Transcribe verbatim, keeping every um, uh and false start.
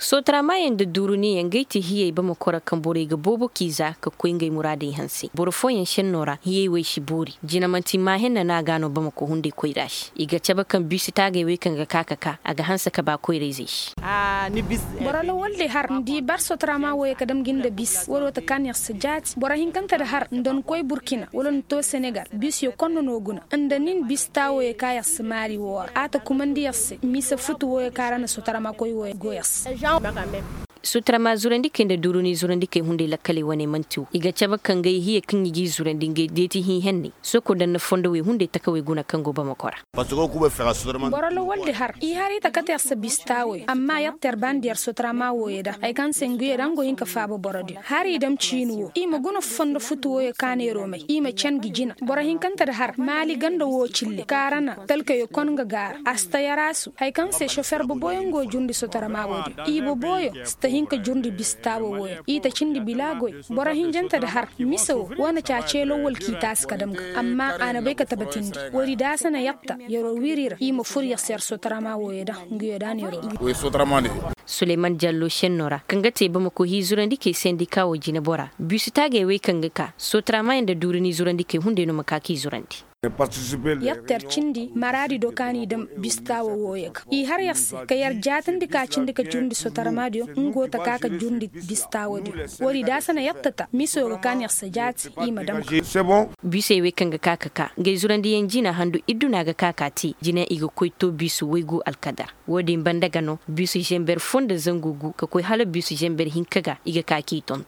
Sotaramaayey nda duuruniyaŋ ngey ti hiyey bamako ra kaŋ borey ga boobo k'i za ka koy ngey muraadey hanse boro fooyaŋ senno ra hiyey wey si boori jina manti maahenna no a ga no bamako hunday koyra se i ga cabe kaŋ biisi taagey wey kaŋ ga ka ka ka a ga hanse ka ba koyrayzey se. Boro lawal di har ni di bar sotarama wooyey ka dam ga nda bis wala wo ta kaani yer si jaati boro hinkante di har nda ni koy burkina wala ni to senegal bis yo konda no guna nda nin bis taawo ye ka yer si maari wo ra a ta kumandi yer se mise futu wo ye ka ra na sotarama koy wo ye go yer se. Sutarama zurandikey nda duuruni zurandikey hunday lakkaley wane manti wo i ga cabe ka ngey hiye kaŋ i g'i zurandi ngey deeti hii henney soko nda nda fondo wey hunday takawey guna kaŋ go bamako ra. Boro lawal di har i har i ta kate yer se bistaawey amma yer ter bandi yer sutarama wooyo da hari kaŋ se nguyo da nga go hin ka faaba boro diyo hari i dam ciini wo i ma guna fondo futu wooyo kaanay romey i ma can ga jina boro hinkante di har maali ganda wo cille kaarana talkayo kon ga gaara a si ta yarasu hari kaŋ se sofer boboyaŋ go jundi sotarama wo diyo i boboyo si ta hin ka jundi bistaawo wooyo i ta cindi bila goy boro hinjante di har mise wo wane caace lawwal k'i taasi ka dam ga amma a na bay ka tabatindi woodi da a si na yatta yaro wiiri ra i ma fur yer se yer sotarama wooyo da nga yo da neero. Suleyman jallo senno ra kaŋ ga te bamako hii zurandi kay sendika wo jine bora biisi taagey wey kaŋ ga ka sotarama yaŋ nda duuri ni zurandi kay hunday no ma ka k'i zurandi. Yer ter cindi maraadi do kaŋ a n'i daŋ bistawo wooyo ga i har yer se ka yer jaatandi ka cindi ka jurndi sotarama diyo nga wo ta ka ka jurndi bistawo diyo woodi da a si na yer ta ta miso ga kaŋ yer se jaati i ma daŋ. Biisey wey kaŋ ga ka ka ka ngey zurandiyaŋ jina handu idduna ga ka ka te jina i ga koy to biisu waygu alkadar wo- din banda ga no biisu zember fo nda zangu gu ka koy hala biisu zember hinka ga i ga ka k'i tonton.